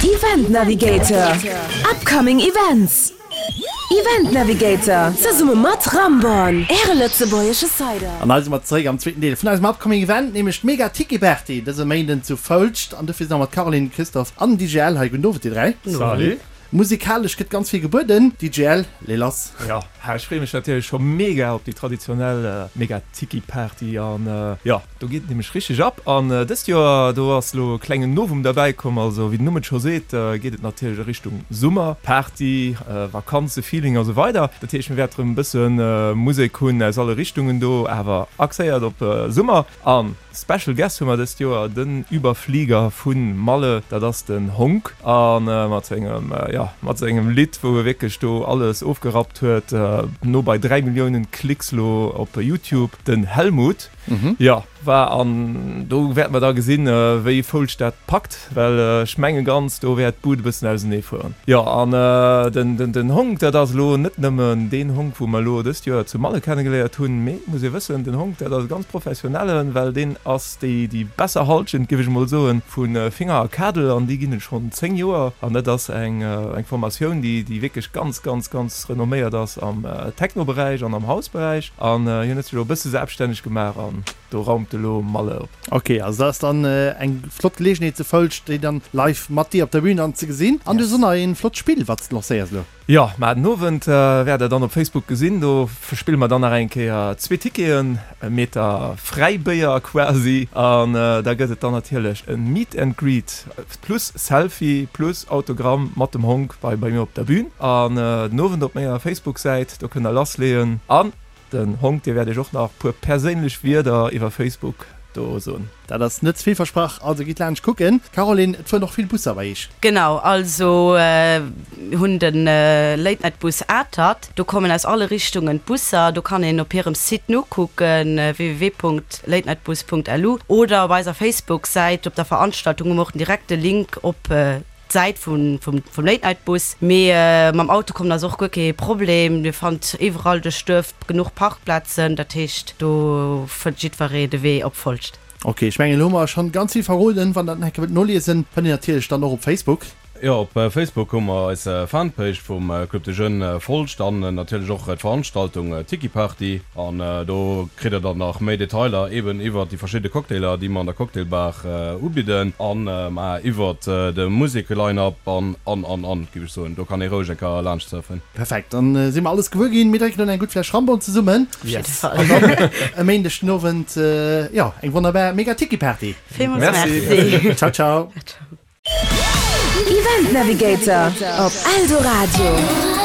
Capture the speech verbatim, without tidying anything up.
Event Navigator, Upcoming Events. Event Navigator, zesumme mat Ramborn, äre lëtzebuergesche Cider. An hei si mer zeréck am zweeten Deel vun eisem Upcoming Event, nämlech d'Mega Tiki Party dëse Méinden zu Foulscht. An dofir si mer mat Caroline, Christophe an D J L hei. Gudden Owend dir dräi. Salut. Musikalesch gëtt ganz vill gebueden. D J L, lee lass. Jo, ech freeë mech natierlech scho mega op déi traditionell Mega Tiki Party an jo, do geet et nämlech richteg ab. An dëst Joer, do ass elo e klengen Novum derbäi komm. Also wéi den Numm et scho seet, geet et natierlech a Richtung Summer, Party, Vakanzefeeling a sou weider. Dat heescht, mir wäerte rëm e bësse Musek hunn aus alle Richtungen do, awer axéiert op Summer. An Special Guest hu mer dëst Joer den Überflieger vu Malle, dat ass den Honk. A mat sengem, jo, mat sengem Lidd, wou e wierklech do alles ofgerappt huet, no bei dräi Milliounen Klicks lo op YouTube, den Helmut. Jo, war an do wäerte mer da gesinn, wéi Foulscht dat packt, well ech menge ganz, do wäert d'Bud e bëssen ausenee fueren. Jo, an den, den, den Honk, dat ass elo net nëmmen deen Honk, wou mer elo dëst Joer zu Malle kennegeléiert hunn, mee et muss ee wëssen, den Honk, dat ass e ganz professionellen, well deen ass déi, déi besser Halschent, géif ech emol soen, vu Finger a Kadel, an déi ginn et schonn zéng Joer, an dat ass eng, eng Formatioun, déi, déi wierklech ganz, ganz, ganz renomméiert ass am Techno-Beräich an am House-Beräich, an hien huet sech elo e bësse selbststänneg gemaach an do raumt elo Malle op. Ok, also dat ass dann eng flott Geleegenheet zu Foulscht, déi dann live mat dir op der Bühn dann ze gesinn. An du hues och nach een flott Spill, wat s de lancéiers elo. Jo, mar den Owend wäert der dann op Facebook gesinn, do verspille mer dann nach eng Kéier zwee Ticketen, e Meter Fräibéier quasi, an da gëtt et dann natierlech e Meet and Greet plus Selfie plus Autogramm mat dem Honk bei bei mir op der Bühn. An den Owend op menger Facebook-Säit, do kënnt der lassleeën. An den Honk, dee wäert iech och nach puer perséinlech Wierder iwwer Facebook do soen. Dat ass net ze vill versprach, also gitt laanscht kucken. Caroline, et fueren och vill Busser bei iech. Genau, also mir hunn de Late Night Bus Atert, do kommen aus alle Richtungen d'Busser, do kann een op hirem Site nokucken, www.latenightbus.lu, oder op eiser Facebook-Säit op der Veranstaltung hu mer och den direkte Link op d'Säit vum vum Late Night Bus. Mee mam Auto kommen ass och guer kee Problem. Dir fannt iwwerall duerch d'Duerf genuch Parkplazen, dat heescht do fënnt jiddweree de Wee op Folscht. Ok, ech mengen elo hu mer schonn ganz vill verroden. Wann der dat nach eng Kéier wëllt noliesen, fënnt een natierlech dann och op Facebook. Jo, op Facebook hu mer eis Fanpage vum Club des Jeunes Folscht an natierlech och d'Veranstaltung Tiki Party. An do kritt der dann nach méi Detailer eben iwwert déi verschidde Cocktailer, déi mer an der Cocktailbar ubidden an ma iwwert de Musek-Line-Up an, an, an, an, géif ech soen. Do kann ee roueg eng Kéier laanscht surfen. Perfekt, dann si mer alles gewuer ginn. Mir drénken elo eng gutt Fläsch Rambon zesummen. Yes. An dann e Méindeg den Owend, jo, eng wonnerbar Mega Tiki Party. Villmools Merci. Ciao, ciao. Event Navigator op Eldoradio.